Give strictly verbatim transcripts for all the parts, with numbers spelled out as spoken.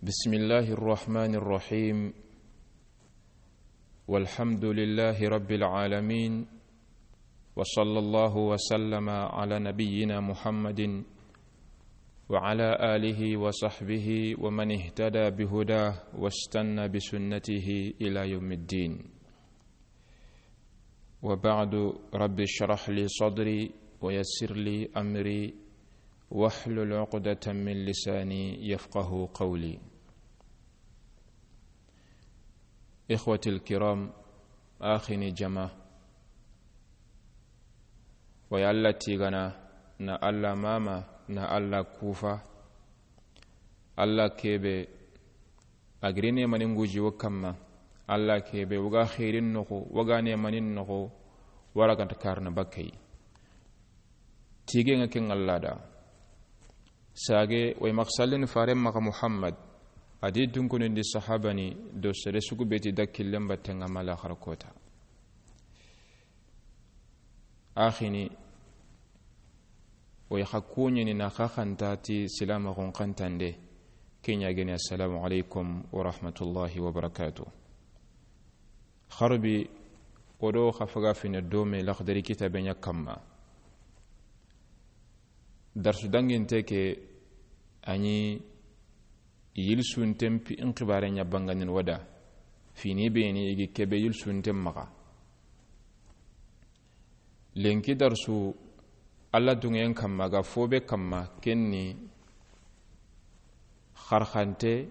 بسم الله الرحمن الرحيم. والحمد لله رب العالمين. وصلى الله وسلم على نبينا محمد وعلى آله وصحبه ومن اهتدى بهداه واستنى بسنته إلى يوم الدين. وبعد، رب اشرح لي صدري ويسر لي أمري واحلل عقدة من لساني يفقه قولي. إخوتي الكرام، آخني جماعة، ويا الله تيغانا، na Allah mama, na Allah kufa, Allah kebe, a giri neemanin guji wo kamma. Allah kebe, wo ga xeerin noxo, wo ga neemanin noxo, wara ganta karna bakka yi. Tigen ŋa ken Allah da. Sage, way maxa sallini faren maxa Muhammad, a di dunkunin di sahabani, do sere sugu be ti da killen batten ŋa ma laxara kota. Axini, o ya xa kuɲini na xa xanta ti silamaxun xantande, ke ɲa geni, assalamu alaikum wa rahmatullahi wa barakatuh. Xarbi, o do xa faga fine dome Laxdari kitabe ɲa kamma. Darsu danginte ke, a ɲi yilsunten pi in xibare ɲa bangandin wada, fini beni igi kebe yilsunten maxa. Lenki darsu, Allah dunŋen kamma, ga fobe kamma, kenni xarxante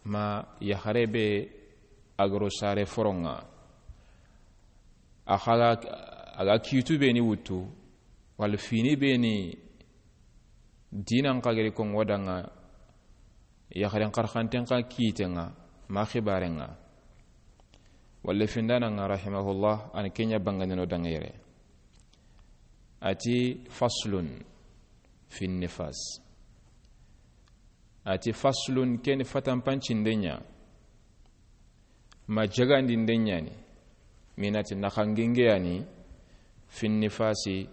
ma yaxare be a garo sare foronŋa. A xaga, a ga kitu beni wutu, wala fini beni dinan xagari kon wadanŋa, yaxaren xarxanten xa kitenŋa, ma xibarenŋa. Walla findananŋa rahimahullah, an ke ɲa bangandino danŋa yere. A ti faslun fi nifas. A ti faslun, keni fatanpancinden ɲa. Ma jagandinde ɲani, minati naxangingeyani, fi nifasi,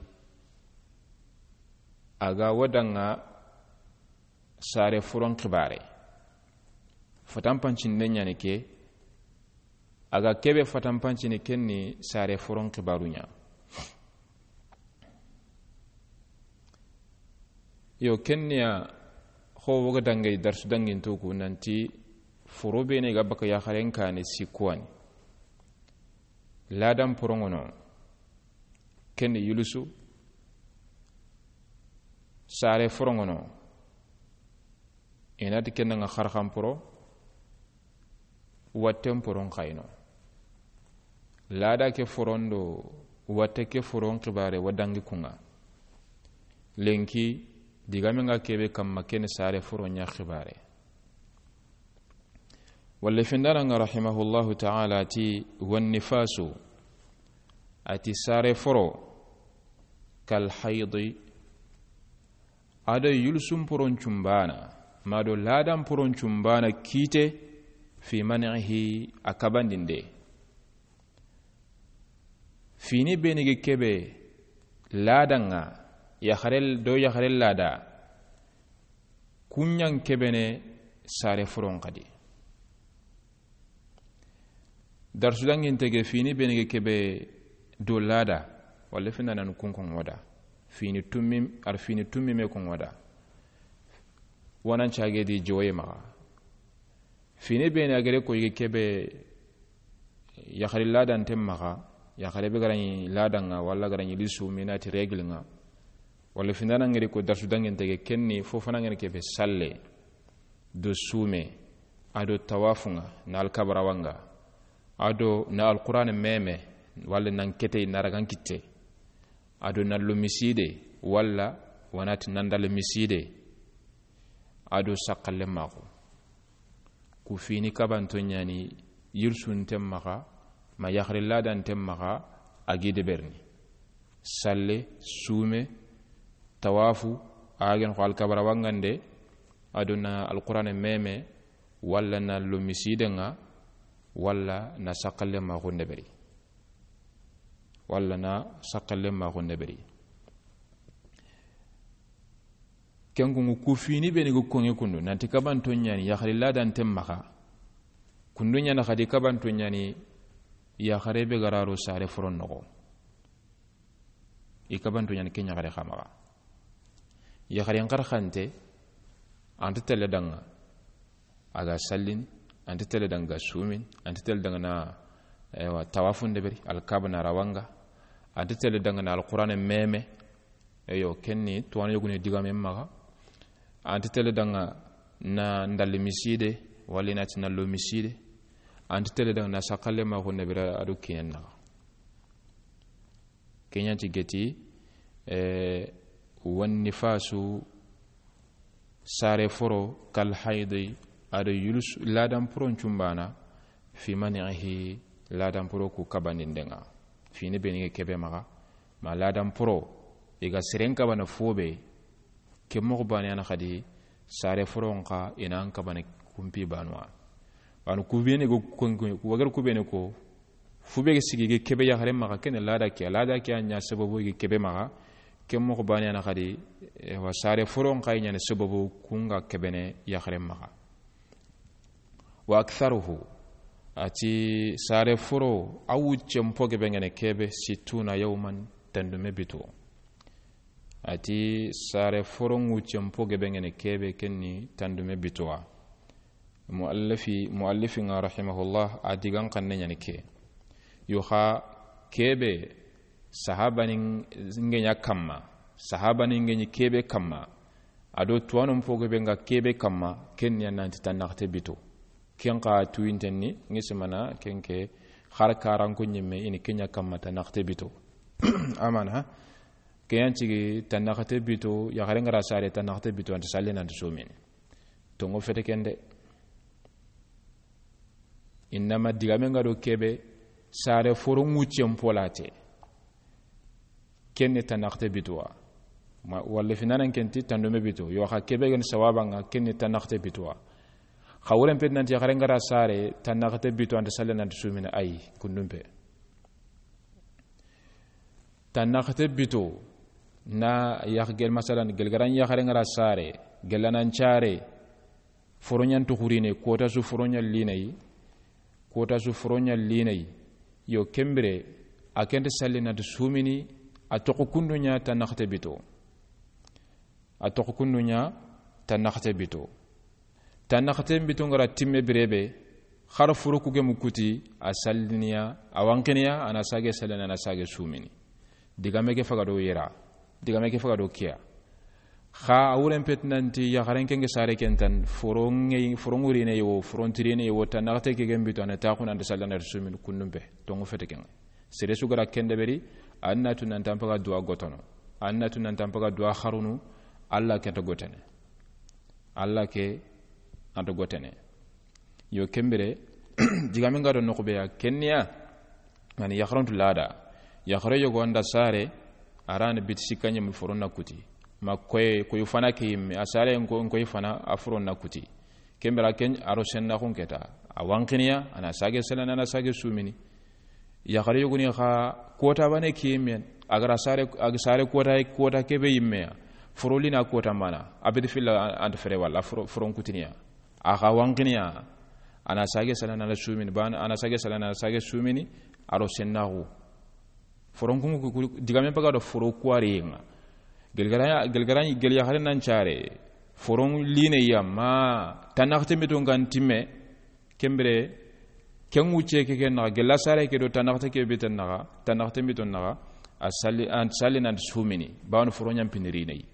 a ga wadanŋa sare furon xibare. Fatanpancinde ɲani ke, a ga kebe fatanpancini kenni sare furon xibaru ɲa. Yo, kenniya xo woga dangay darsu dangintoku nanti foro bene ga baka yaxaren kane sikkuwani. Ladan porongono, kenni yulusu, sare forongono, inati kennanga xarxan poro, watten poron xayno. Lada ke foron do watte ke foron xibare wa dangi kunŋa. Lenki, digame nga kebe kamma keni sare foron ɲa xibare. Walla findananŋa rahimahullahu ta'ala ti, wan nifasu, a ti sare foro, kal haydi, a do yulsun poron cumbana, ma do ladan poron cumbana kite, fi man'ihi, a kabandinde. Fini beni gi kebe ladanŋa, yaxare do yaxare lada, kuɲan kebene sare foron xadi. Darsu danginte ke fini beni ke kebe do lada, walla fina nan kun kon wada. Fini tummi, ar fini tummi me kon wada. Wanan cage di joye maxa. Fini beni a gere ko yige kebe yaxari ladanten maxa, yaxare be garaɲi ladanŋa, walla garaɲi lisu minati règle ŋa. Walla findana ngeri ko darsu danginte ke kenni fofana ngeri kebe salle. Do sume, a do tawafunŋa, na alkabarawanŋa, a do na alquran meme, walla nan kete na ragan kitte, a do na lo miside, walla wanati nandal miside, a do sakkalle maxu. Ku fini kabanto ɲani yirsunten maxa, ma yaxari ladanten maxa, a gi deberni. Salle, sume, tawafu, a gen xo alkabarawanŋande, a do na alquran meme, walla na lo misidenŋa, walla na sakkalle maxu ndeberi. Walla na sakkalle maxu ndeberi. Ken kunŋu ku fini be ni ga koŋe kundu nanti kabanto ɲa ni yaxari ladanten maxa. Kundu ɲa na xadi kabanto ɲa ni yaxare be ga ra ro sare foron noxo. I kabanto ɲa ni ke yaxare xa maxa. Yaxaren xarxante, an ta tele daŋa a ga sallini, an ta tele daŋa ga sumini, an ta tele daŋa na, ewa, tawafun deberi, Alkaaba na rawaŋa, an ta tele daŋa na Alqur'aana meme. Eyo, ken ni tuwaana yogoni digaamen maxa. An ta tele daŋa na ndalli miside, walla i na ti na lo miside. An ta tele daŋa na saqalle maxu nebera a do kinen naxa. Ke ɲa ti geti, eh, wan nifasu, sare foro, kal haydi, a do yulus, ladan poron cumbana, fi mani'ihi, ladan poro ku kabandinden ŋa. Fini be ni ga kebe maxa, ma ladan poro, i ga seren kabana fo be, ke moxo bane ya na xadi, sare foron xa i na an kabana kumpi banuwa. Banu ku be ni go, ku wagar ku be ni ko, fu be ga sigi ga kebe yaxare maxa, ken ni lada ke, lada ke a ɲa sababu ga kebe maxa, ke moxo bane ya na xadi, ewa, sare foron xa i ɲa ni sababu ku ŋa kebene yaxare maxa. Wa aktharuhu, a ti sare foro a wuccen po gebe ŋene kebe, sittuna yawman, tandume bito. A ti sare foro wuccen po gebe ŋene kebe, ken ni tandume bito wa. Muallifi, muallifi ŋa rahimahullah, a digan xanne ɲa ni ke. Yo xa kebe sahabani ŋe ɲa kamma, sahabani ŋe ɲi kebe kamma, a do tuwanon po gebe ŋa kebe kamma, ken ni a nanti tannaxate bito. Ken xa tuyinten ni, ŋi simana, ken ke xar karanko ɲimme, i ni ke ɲa kamma tannaxate bito. Amana, ke yan cigi tannaxate bito, yaxare ŋa ra sare tannaxate bito, an ta salli, an ta sumini. Tonŋo fete ken de. Innama digame ŋa do kebe, sare foro wuccen polate. Ken ni tannaxate bito wa. Ma, walla finanan ken ti tandume bito. Yo xa kebe ga ni sawaba ŋa, ken ni tannaxate bito wa. Xa wuren peti nanti yaxare ŋa ra sare tannaxate bito, an ta salli, an ta sumini, ayi, kundun pe. Tannaxate bito, na yax gel, masalan, gelgaran yaxare ŋa ra sare, gelanan care, foroɲan tuxurine, kota su foroɲan linayi, kota su foroɲan linayi. Yo, ken bire, a ken ta salli, an ta sumini, a toxo kundu ɲa tannaxate bito. A toxo kundu ɲa tannaxate bito. Tannaxate bito ŋa ra timme bire be, xara foro ku gemu kuti, a salliniya, a wanqiniya, a na sage sallini, a na sage sumini. Digame ke faga do yera, digame ke faga do kiya. Xa a wuren peti nanti yaxaren ken ŋa sare ken tan, foro ŋe, foro ŋurine yo, foro ntirine yo, tannaxate ke gem bito, a na taxu, an ta salli, an ta sumini, kundun pe, tonŋo fete ken ŋa. Sere su ga ra ken deberi, a na tu nan ta an paga duwa gotono, a na tu nan ta an paga duwa xarunu, Alla ke nta gotene. Alla ke nta gotene. Yo, ken bire, digame ŋa do noxu be ya, ken ni ya, ani yaxarantu lada. Yaxare yogo an da sare, a ra ni biti sikka ɲemu foron na kuti. Ma koy, koy fana ke yimme, a sare n ko, n koy fana, a foron na kuti. Ken bire ken a ro sennaxun keta. A wanqiniya, a na sage sallini, a na sage sumini. Yaxare yogoni xa kota bane ke yimme, a ga ra sare, a ga sare kota, kota kebe yimme ya. Foro lina kota mana, a beti filla an ta fere walla, foro, foron kutiniya. A xa wanqiniya, a na sage sallini, a na sumini, ban, a na sage sallini, a na sage sumini, a ro sennaxu. Foron kunŋu ku, ku, digame paga do foro kuwari ŋa. Gelgara, gelgara, gel yaxare nan care. Foron line ya ma, tannaxate bito ŋa n timme, ken bire, ken wucce ke, ken naxa, gella sare ke do tannaxate ke bito naxa, tannaxate bito naxa, a salli, an salli, an ta sumini, bawon foroɲan pinirine yi.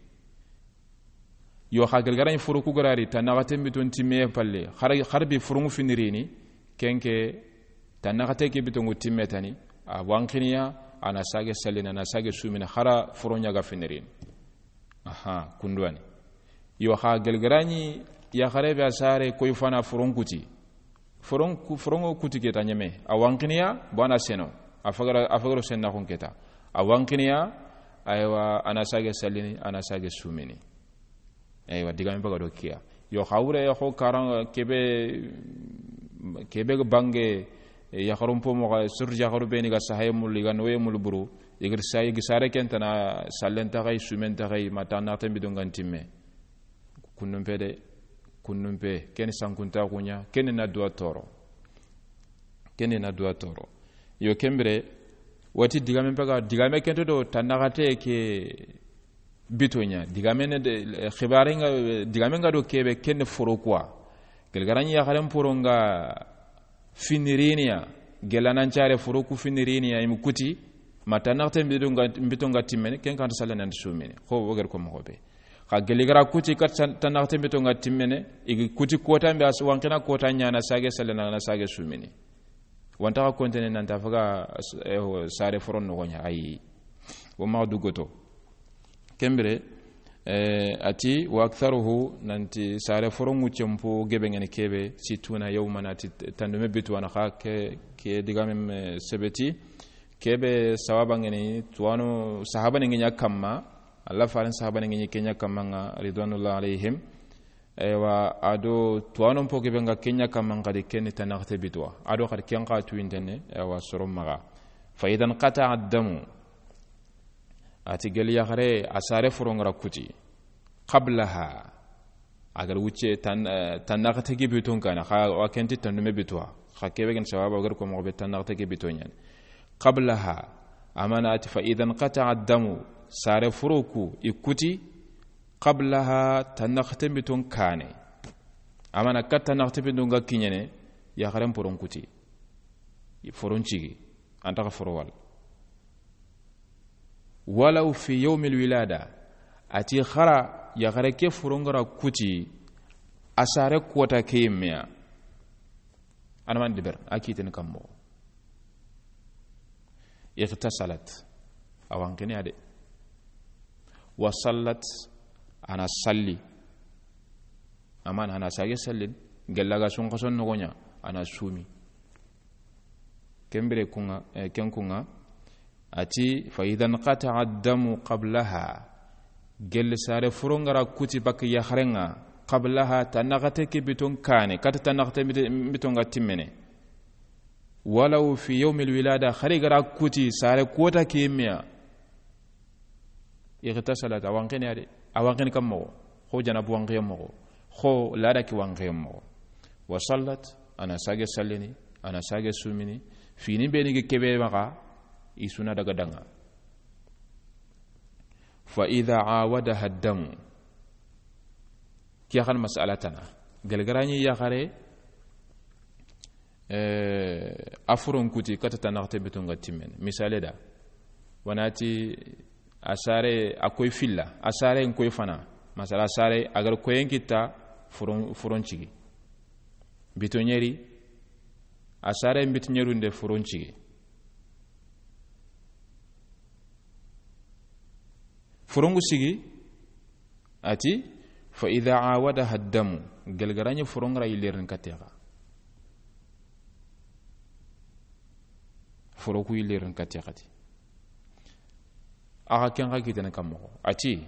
Yo, xa gelgara ɲi foro ku ga ra ri, tannaxate bito n timme palle, xar, xar bi foroŋu finirini, ken ke, tannaxate ke bito ŋu timme tani, a wanqiniya, a na sage sallini, a na sage sumini, xara foroɲa ga finirini. Aha, kunduwani. Yo, xa gelgara ɲi yaxare be a sare koy fana foron kuti. Foron ku, foronŋo kuti keta ɲeme. A wanqiniya, bo a na seno. A fagara, a fagaro sennaxun keta. A wanqiniya, aywa, a na sage sallini, a na sage sumini. Aywa, digame paga do kiya. Yo, xa wure xo karan kebe, kebe bange, yaxarun po moxa, surtout yaxaru be ni ga sahaye mulu, i ga noye mulu buru, i ga sa, i ga sare ken tana, sallen taxay, sumen taxay, ma tannaxate bito ŋa n timme. Kunnun pe de, kunnun pe, ken ni sankuntaxu ɲa, ken ni na duwa toro. Ken ni na duwa toro. Yo, ken bire, wati digame pe ga, digame kento do, tannaxate ke bito ɲa. Digame ne de, xibaare nga, digame nga do kebe, ken ni foro kuwa. Gelgaraɲi yaxaren poro nga finiriniya, gelanancare foro ku finiriniya, i mu kuti, ma tannaxate mbito nga, mbito nga timmene, ken kanta salle nan sumini. Xo wo gere ko moxo be. Xa geli gara kuti kat san-, tannaxate mbito nga timmene, i gi kuti kota mbe as-, wanqina kota ɲa na sage salle na, na sage sumini. Wanta xa kontene nanta faga, eh, sare foron noxo ɲa, ayi. Wo maxa dugoto. Ken bire, eh, ati, wa aktharuhu, nanti sare foron ŋu cempo gebe ngene kebe, sittuna yawman, ati tandume bitu wana xa ke, ke digame me sebeti, kebe sawaba ngene tuwano sahaba ne ngenya kamma, Allah farin sahaba ne ngenya kenya kamma nga, ridwanullah alayhim. Ewa, ado tuwano mpo gebe nga kenya kamma nga di ken ni tannaxate bituwa. Ado xadi ken xa tuwintene, ewa, soro maxa. Fa idan qata'a ad-damu. Ati geli yaxare a sare foro ngara kuti. Qablaha. A gar wucce tan, eh, tannaxate gi bitun kana, xa wa kenti tandume bituwa. Xa kebe gen sawaba, a gar ko moxo be tannaxate gi bito ɲani. Qablaha. Amana ati fa idan qata'a ad-damu. Sare foro ku i kuti. Qablaha, tannaxate biton kane. Amana kat tannaxate biton ga kiɲene, yaxaren poron kuti. Foron cigi. Anta xa foro wal. Walaw fi yawmil wilada, ati xara yaxare ke foro ngara kuti, a sare kota ke yimmeya. Ana man diber, a kiten kammo. Ightasalat, a wanqini ya de. Wa sallat, ana salli. Amana ana sage sallin, gella ga sun xason noxo ɲa, ana sumi. Ken bire kunga, eh, ken kunga, ati, fa idan qata'a ad-damu qablaha. Gelle sare foro ngara kuti bak yaxarenga, qablaha, tannaxate ke biton kane, kata tannaxate bit-, biton ga timmene. Walaw fi yawmil wilada, xari gara kuti, sare kota ke yimmeya. Ightasalat, a wanqini ya de. A wanqini kam moxo. Xo janabu wanqiye moxo. Xo lada ki wanqiye moxo. Wa sallat, ana sage sallini, ana sage sumini. Fini beni ge kebe maxa, i suna daga danga. Fa idha awadaha ad-damu. Kiya xan mas'ala tana. Gelgaraɲi yaxare, eh, a foron kuti kata tannaxate biton ga timmen. Misale da. Wanati a sare a koy filla, a sare n koy fana. Masala a sare a gar koyen kita foron, foron cigi. Bito ɲeri, a sare n bito ɲerunde foron cigi. Forongu sigi, ati, fa idha awadaha ad-damu, gelgaraɲi foron gara yillerin katexa. Foroku yillerin katexati. Axa ken xa kitene kam moxo. Ati,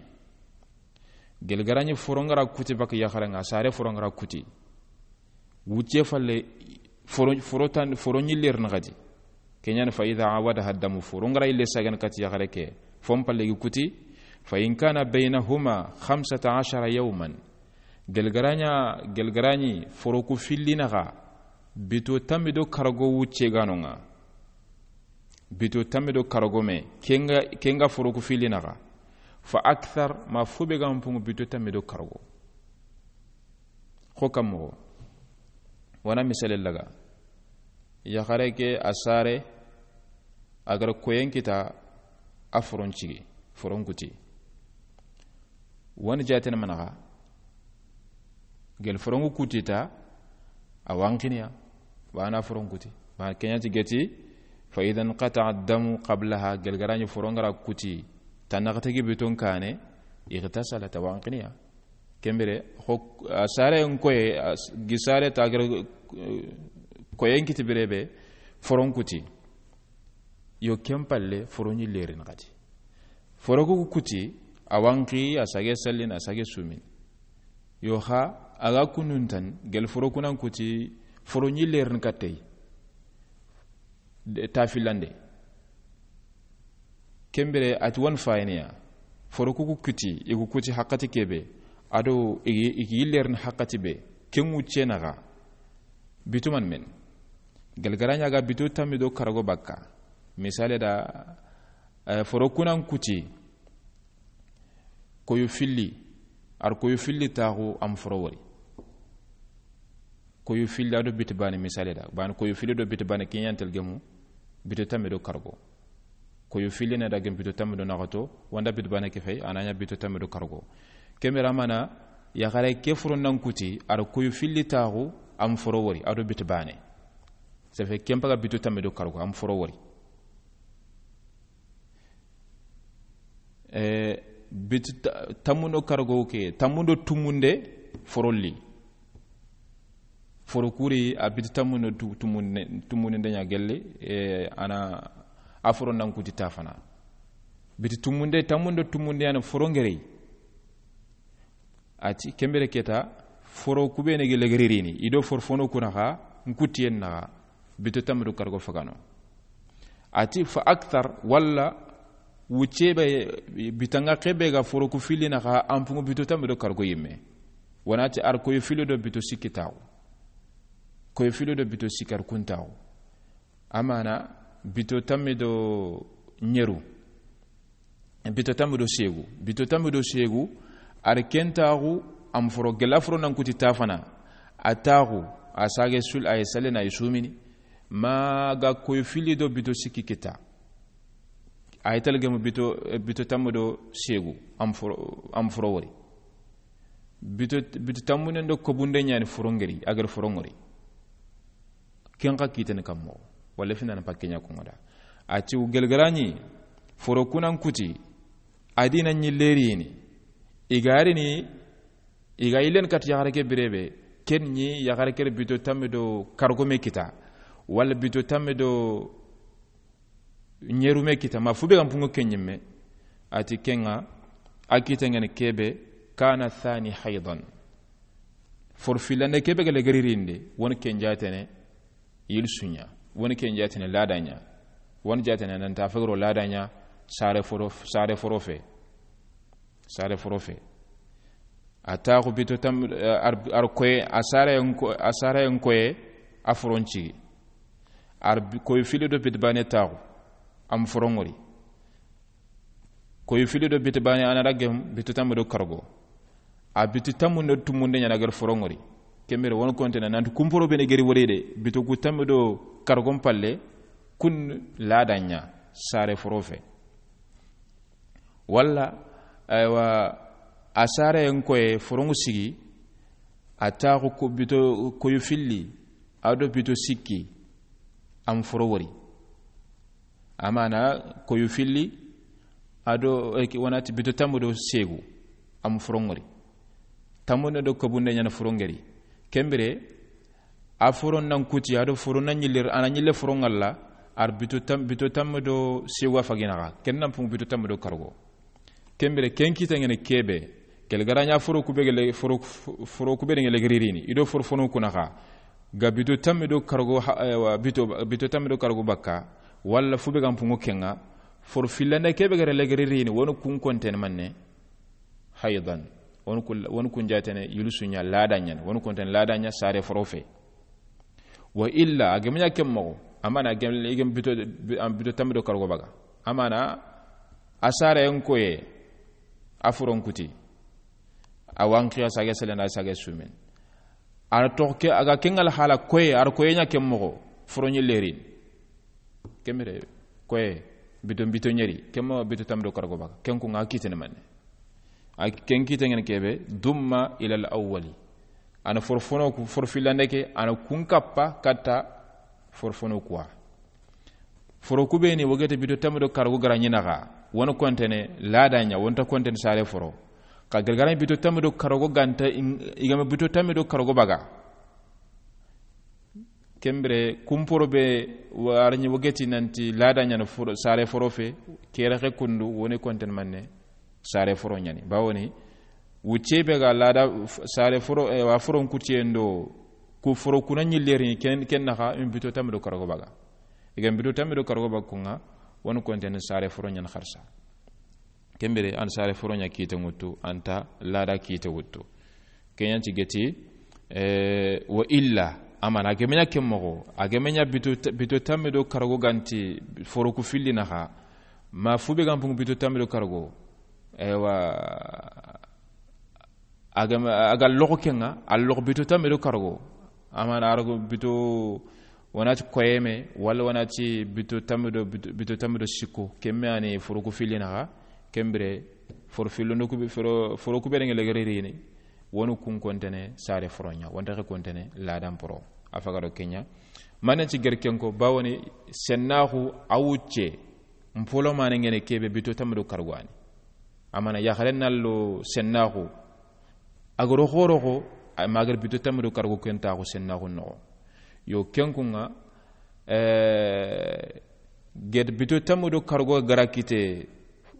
gelgaraɲi foron gara kuti bak yaxarenga, sare foron gara kuti. Wucce falle foro, foro tan, foro ɲillerin xadi. Keɲan fa idha awadaha ad-damu, foro ngara yille sagan kati yaxare ke. Fon palle gi kuti. Fa in kana baynahuma khamsata ashara yawman. Gelgaraɲa, gelgaraɲi foroku fillinaxa. Bito tammi do karago wucce ganonga. Bito tammi do karago me. Kenga, kenga foroku fillinaxa. Fa akthar, ma fube ga mpungu bito tammi do karago. Xo kam moxo. Wana misale laga. Yaxare ke a sare, a gara koyen kita a foron cigi, foron kuti. Wani jaten manaxa. Gel forongu kutita, a wanqiniya, wana foron kuti. Ba keɲati geti, fa idha inqata'a ad-damu qablaha, gelgaraɲi foron gara kuti, tannaxate gi biton kane, ightasalat, a wanqiniya. Kembere, xo, a sare n koye, a s-, gi sare ta gere, eh, koyen kiti birebe, foron kuti. Yo ken palle, foron ɲillerin xati. Foroku kuti, a wanqi, a sage sallin, a sage sumin. Yo xa, a ga kununtan, gel forokunan kuti, foron ɲillerin katey. De, tafilande. Kembere ati wan fayiniya. Foroku ku kuti, i ku kuti haqqati kebe. A do i gi, i gi yillerini haqqati be, ken ŋucce naxa, bito man men. Gelgara ɲa ga bito tammi do kargo bakka. Misale da, eh, foro kunan kuti, koyo filli, ar koyo filli taxu am foro wori. Koyo filli a do biti bane misale da. Bane koyo filli do biti bane kiɲantel gemu, bito tammi do kargo. Koyo filli na da gem bito tammi do naxato, wanda bito bane ke fay, a na ɲa bito tammi do kargo. Kemera mana, yaxare ke foro nan kuti, ar koyo filli taxu, am foro wori, a do bito bane. Ça fait, ken paga bito tammi do kargo, am foro wori. Eh, biti ta-, tammundo kargo ke, tammundo tumunde forolli. Foro kuri a biti tammundo tu-, tumunde, tumunde ɲa gelle, eh, a na a foro nan kuti ta fana. Biti tumunde, tammundo tumunde a na foro ŋerey. A ti, kembere keta, foro kubene ge legeririni, i do foro fono kuna xa, nkutiyen naxa, bito tammi do kargo fagano. A ti, fa akthar, walla, wucce be, bitanga kebe ga foro ku filli naxa, ampungu bito tammi do kargo yimme. Wana ti ar koyo filli do bito sikki taxu. Koyo filli do bito sikki ar kun taxu. Amana, bito tammi do ɲeru. Bito tammi do segu. Bito tammi do segu. Ar ken taxu, am foro gela foro nan kuti ta fana. A taxu, a sage sul, a ye sale na i sumini. Ma ga koyo filli do bito sikki kita. A ye talgemu bito, eh, bito tammi do segu. Am foro, am foro wori. Bito, bito tammunen do kobunde ɲani foro ŋeri, a gari foro ŋori. Ken xa kiteni kammo, walla fina na pakke ɲa ko ŋoda. A ti u gelgara ɲi, foro kunan kuti, a di na ɲi lerini, i ga ri ni, i ga yilen kat yaxare ke birebe, ken ɲi yaxare ke bito tammi do kargo me kita, walla bito tammi do ɲeru me kita, ma fu be ga mpungo ken ɲimme, a ti ken ŋa, a kitengene kebe, kana thani haydan. Foro fillande kebe ga legeririnde, woni ken jatene yilsu ɲa, woni ken jatene lada ɲa, woni jatene nan ta fagro lada ɲa, sare foro, sare foro fe. Sare foro fe. A taxu bito tam, eh, ar, ar koye, a sare en ko, a sare en koye, a foron cigi. Ar bi-, koyo filli do bito bane taxu, am foro ŋori. Koyo filli do bito bane a na da gem, bito tammi do kargo. A bito tammundo tumunde ɲana gari foro ŋori. Kembere woni kontene, nanti kumporo bene geri wori de, bito ku tammi do kargon palle, kun lada ɲa, sare foro fe. Walla, aywa, a sare en koye foroŋu sigi, a taxu ko bito koyo filli, a do bito sikki, am foro wori. Amana koyo filli, a do, eh, ki-, wanati bito tammu do segu, am foro ŋori. Tammu do kobunde ɲana foro ŋeri. Kembere, a foron nan kuti, a do foron nan ɲille, a na ɲille foron ŋalla, ar bito tam-, bito tammi do sewa faginaxa, ken nan pung bito tammi do kargo. Kembere, ken kita ŋene kebe, kel garaɲa foro kube gele, foro, foro kube de ŋele geririni, i do foro fono kunaxa, ga bito tammi do kargo, ha, eh, wa, bito, bito tammi do kargo bakka, walla fu be ga mpungu kenga, foro fillande kebe gere le geririni, wonu kun konten manne, haydan. Woni kun, woni kun jatene yulusunya ladaɲan. Woni kun ten ladaɲa sare forofe. Wa illa, a gemanya kem mogo. Amana gem, gem bito, bi-, am bito tammi do kargo baga. Amana a sare en koye, a foron kuti. A wankiya sage selena sage sumen. Ar toxo ke, a ga kengal hala koye, ar koye ɲa kem mogo. Foronyi lerin. Kemire, koye, bito, bito ɲeri, kemma bito tammi do kargo baga, ken ku nga kitene manne. A ken kite ngene kebe, dumma ilal awwali. Ana for fono ku, for filande ke, ana kun kappa, katta, for fono kuwa. Foro kubeni, wogete bito tammi do kargo gara ɲinaga, woni kontene, ladaɲa, wonta kontene sare foro. Ka gargara bito tammi do kargo ganta, in-, igame bito tammi do kargo baga. Kembire, kumporo be, wa-, arɲi wogeti nanti ladaɲana foro, sare foro fe, kere xe kundu, woni konten manne, sare foro ɲani. Bawoni, wucce be ga lada f-, sare foro, eh, wa foron kutiyendo, ku foro kuna ɲillerini, ken, ken naxa, in bito tammi do kargo baga. Igan bito tammi do kargo baga kunga, woni konten sare foro ɲan xarsa. Ken bire an saare foro ɲa kite ŋuttu, an ta laada kite wuttu. Ken ɲa ti geti, eh, wa illa, a mana a geme ɲa ken moxo, a geme ɲa bito, bito tanmi do karago ga nti foro ku filli naxa, ma fu be ga n pungu bito tanmi do karago, ewa, a ga, a ga loxo ken ŋa, a loxo bito tanmi do karago. A mana a rago bito, wona ti koyeme, walla wona ti bito tanmi do, bito, bito tanmi do sikko, ken me a ni foro ku filli naxa, ken bire, foro fillondo ku be, foro, foro ku be ŋa legere rini, wonu kun kontene saare foro ɲa, wonta ke kontene laadan poro. A faga do ken ɲa. Mane ti gere ken ko, bawoni sennaxu a wucce, mpolo mane ŋene kebe bito tanmi do karago a ni. A mana yaxare na lo sennaxu, a ga ro xoro xo, a ma gere bito tanmi do karago ken taxu sennaxu noxo. Yo ken kun ŋa, eh, gede bito tanmi do karago ga ra kite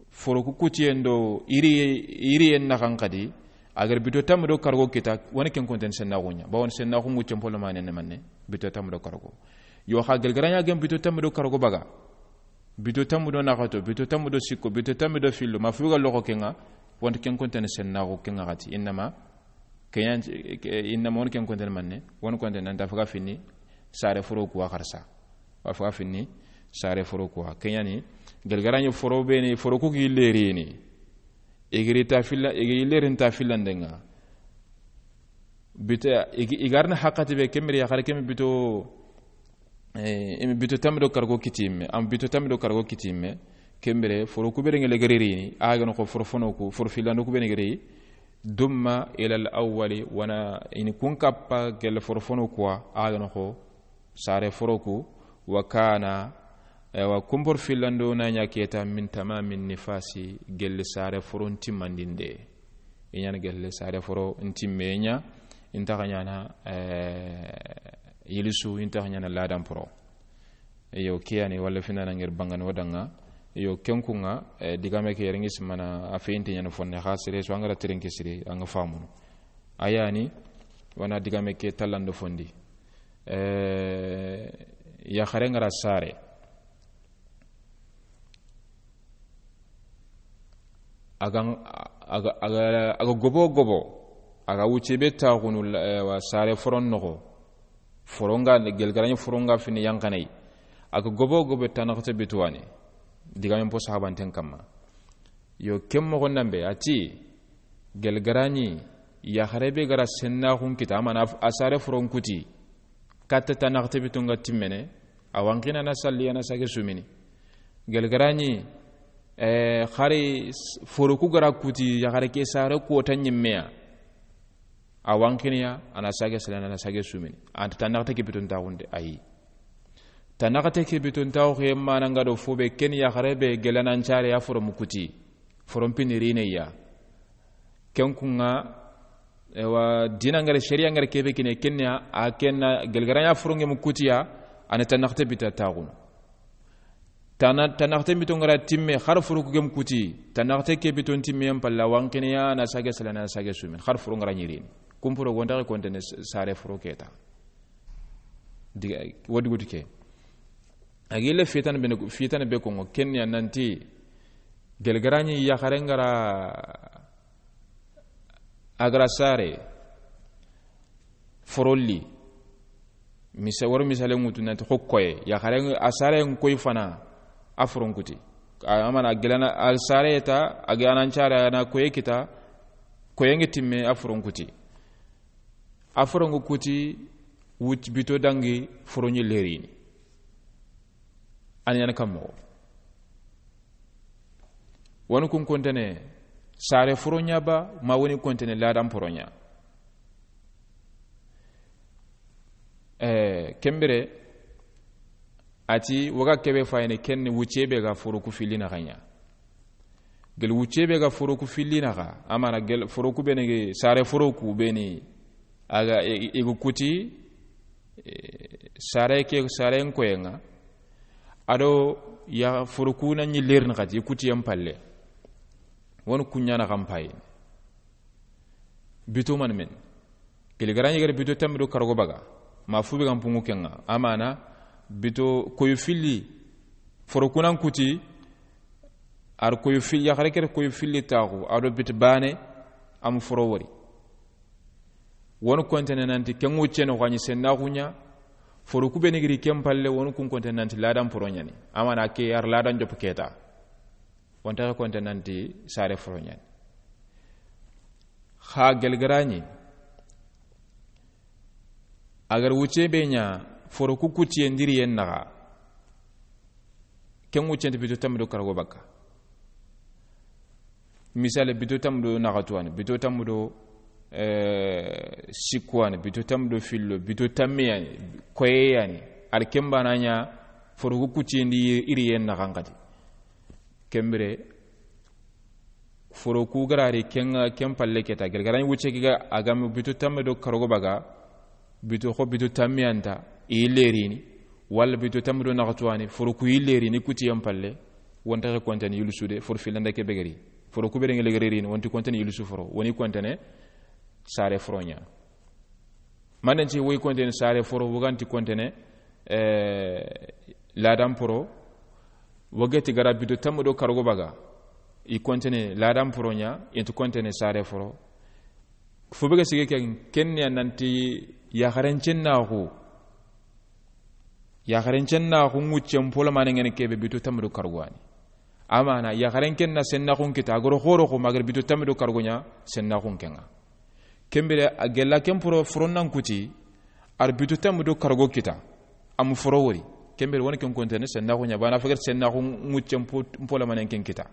foro ku kutiyen do iri, iriyen naxan xadi, a gere bito tanmi do karago kita, woni ken kontene sennaxu ɲa. Bawoni sennaxu ŋucce mpolo mane ne manne, bito tanmi do karago. Yo xa gele ga ra ɲa gem bito tanmi do karago baga. Bito tanmi do naxato, bito tanmi do sikko, bito tanmi do fillo, ma fu ga loxo ken ŋa, wonta ken kontene sennaxu ken ŋa xati. Innama, ken ɲa ti, ke, innama woni ken kontene manne, woni kontene nan ta faga finni saare foro kuwa xarsa. Wa faga finni saare foro kuwa. Ken ɲa ni, gele ga ra ɲi foro be ni, foro ku gi lerini. I giri ta filla, i giri lerin ta fillande ŋa. Bito, i gi, i ga ri na haqqati be ken bire yaxare ken bito, eh, i mi bito tanmi do karago kiti me, am bito tanmi do karago kiti me, ken bire, foro ku be ŋa legere rini, a ga noxo foro fono ku, foro fillando ku be ŋa gere, dumma ilal awwali, wona i ni kun kappa gele foro fono kuwa, a ga noxo saare foro ku, wa kana, ewa, kun foro fillando na ɲa keta min tamami nifasi, gele saare foro ntimmandinde. I ɲa na gele saare foro ntimme ɲa, i nta xa ɲaana, eh, yilisu, i nta xa ɲaana laadan poro. Iyo, ke ya ni, walla fina na ŋeri bangani wo da ŋa. Iyo, ken kun ŋa, eh, digame ke yere ŋi simana, a feyinte ɲa na fonne, xa sere su an ga ra teren ke siri, an ga famunu. A ya ni, wona digame ke tallando fondi. Eh, yaxare ga ra saare. A ga, a ga, a ga, a ga gobo gobo, a ga wucce be taxunu, eh, wa saare foron noxo. Foronga, gele ga ra ɲi foronga fini yanxanay. A ga gobo gobo tanaxate bituwani. Digamen po sahabanten kamma. Yo, ken moxon nan be, a ti, gele ga ra ɲi yaxare be ga ra sennaxun kita, a mana a saare foron kuti, katta tanaxate bitunga timmene, a wanxina na salli, a na sage sumini. Gele ga ra ɲi, eh, xari s-, foro ku ga ra kuti, yaxare ke saare kota ɲimmeya. A wanxiniya, a na sage salana, a na sage sumini. Anta tanaxate ke biton taxunde, ayi. Tanaxate ke biton taxu xe mana nga do fo be ken yaxare be gele nan care ya foro mu kuti. Foron pini rine ya. Ken kun ŋa, ewa, dina ngare, sharia ngare kebe kine kenya, a kenna gele ga ra ɲa foronge mu kutiya, a na tanaxate bita taxunu. Tana, tanaxate bito nga ra timme, xar foro ku gem kuti, tanaxate ke biton timme yan palla, wanxiniya na sage salana, na sage sumin, xar foro nga ra ɲirini. Kumporo gonta ke kontene s-, saare foro keta. Diga, wodi gutu ke. A gille fitana be, fitana be kongo, kenya nanti, gele ga ra ɲi yaxare nga ra, a ga ra saare, forolli, misa-, waro misale ŋutu nanti xo koye, yaxare a saare n koy fana, a foron kuti. A, a mana gele na, a saare ta, a ga nan care, a na koye kita, koye nge timme, a foron kuti. A foron ngu kuti, wuc bito dangi, foro ɲi lerini. Ani yan kammo. Woni kun kontene, saare foro ɲa ba, ma woni kontene ladan foro ɲa. Eh, ken bire, a ti, waga kebe fayene ken wucce be ga foro ku filli naxa ɲa. Gel wucce be ga foro ku filli naxa, a mana gel foro ku bene ge, saare foro ku beni, a ga, e, e, e gu kuti, e, saare ke, saare n koye ŋa. A do ya foro ku na ɲi lerni xati, i kuti yan palle. Woni ku ɲa na xa n payi. Bito man men. Gili ga ra ɲi gere bito tammi do kargo baga. Ma fu be ga n pungu ke ŋa. A mana bito koyu filli. Foro ku nan kuti. A ri koyo fil-, yaxare ke ri koyo filli taaxu, a do biti baane, a ma foro wori. Wo ni kontene nanti, ken ŋuccen noxo a ɲi sennaxu ɲa, foro ku be ni giri ken palle, wo ni kun kontene nanti laadan poro ɲa ni. Amaana ke a ri laadan jopp ke ta. Wo nta ke kontene nanti saare foro ɲa ni. Xa geli ga ra ɲi, a ga ri wucce be ɲa, foro ku kutiye ndi riyen naxa, ken wuccen ti bito tammi do karago bakka. Misale, bito tammi do naxatu wa ni, bito tammi do, eh, sikku wa ni, bito tammi do fillo, bito tammi ya ni, koye ya ni. A ri ken baana ɲa, foro ku kutiye ndi i riyen naxa n xati. Ken bire, foro ku ga ra ri ken, ken palle ke ta. Geli ga ra ɲi wucce ke ga, a ga ma bito tammi do karago baga, bito xo bito tammi ya nta, i yille ri ni, walla bito tammi do naxatu wa ni, foro ku yille ri ni kutiyen palle, wo nta ke kontene yillisu de, foro fillanda ke be ga ri. Foro ku be ri n geli ga ri ni, wo nti kontene yillisu foro, wo ni kontene saare foro ɲa. Manden ti wo yi kontene saare foro, wo ga nti kontene, eh, laadan poro, wo ga ti ga ra bito tammi do karago baga, i kontene laadan poro ɲa, i nti kontene saare foro. Fo be ga sigi ken, ken ni ya nanti yaxaren cennaxu, yaxaren cennaxu ŋuccen polo mane ŋene ke be bito tammi do karago wa ni. Amaana, yaxaren ken na sennaxun kita, a ga ro xoro xo ma ga ri bito tammi do karago ɲa, sennaxun ken ŋa. Ken bire, a gella ken poro, foron nan kuti, a ri bito tammi do karago kita, a ma foro wori. Ken bire, wo ni ken kontene sennaxu ɲa, baana fagar sennaxu ŋuccen po-, polo mane ken kita.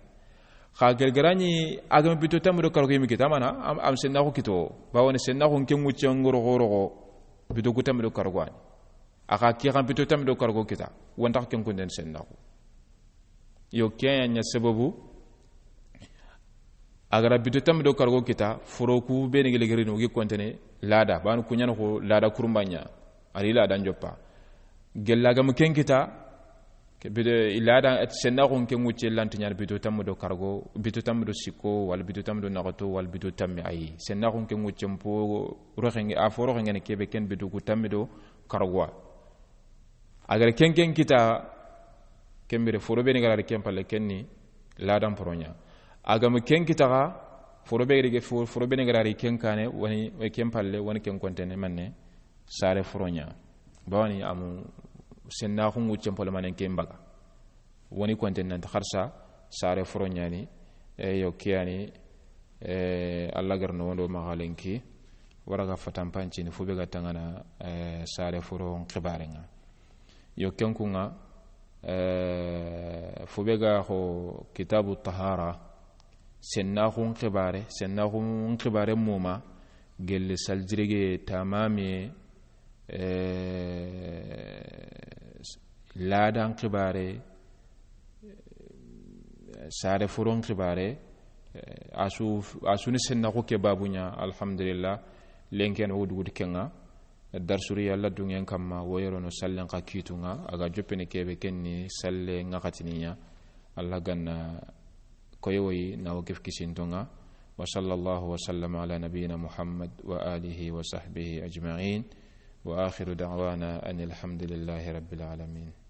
Xa geli ga ra ɲi, a ga ma bito tammi do karago yi mi kita, amaana, am, am sennaxu kito, bawo ni sennaxun ken ŋuccen ŋoro xoro xo, bito ku tammi do karago wa ni. A xa ki xa bito tammi do karago kita, wo nta xa ken kontene sennaxu. Yo, ke ya ɲa sababu, a ga ra bito tammi do karago kita, foro ku be ni geli ga ri ni, wo gi kontene laada, baanu ku ɲa ni xo laada kurumba ɲa, a ri laadan joppa. Gella ga ma ken kita, ke bito, i laada sennaxun ke ŋucce lanti ɲa ni bito tammi do karago, bito tammi do sikko, walla bito tammi do naxato, walla bito tammi ayi. Sennaxun ke ŋuccen po roxen ŋe, a fo roxen ŋene ke be ken bito ku tammi do karago wa. A ga ra ken ken kita, ken bire foro be ni ga ra ri ken palle ken ni laadan poro ɲa. A ga ma ken kita xa, foro be ri ge fo-, foro be ni ga ra ri ken kaane, wo ni, wo ken palle, wo ni ken kontene manne saare foro ɲa. Bawo ni a ma sennaxu ŋuccen polo mane ken baga. Wo ni kontene nanti xarsa saare foro ɲa ni, e, yo, ke ya ni, e, Alla ga ri no wondo maxa lenki, wara ga fatan pancini, fo be ga tangana, e, saare foro n xibaaren ŋa. Yo, ken kun ŋa, e, fo be ga xo kitabu tahara, sennaxun xibaare, sennaxun xibaare muma, gelle saljirege tamamiye, eh, laadan xibaare, eh, saare foron xibaare, eh, a su, a su ni sennaxu ke babu ɲa, alhamdulillah, lenken wo duguti ken ŋa, darsuri Alla dungen kamma, wo yero no sallen xa kitu ŋa, a ga joppene ke be ken ni salle ŋaxatini ɲa, Alla ga na koyi woyi na wo kef kisinto ŋa. وصلى الله وسلم على نبينا محمد وآله وصحبه أجمعين. وآخر دعوانا أن الحمد لله رب العالمين.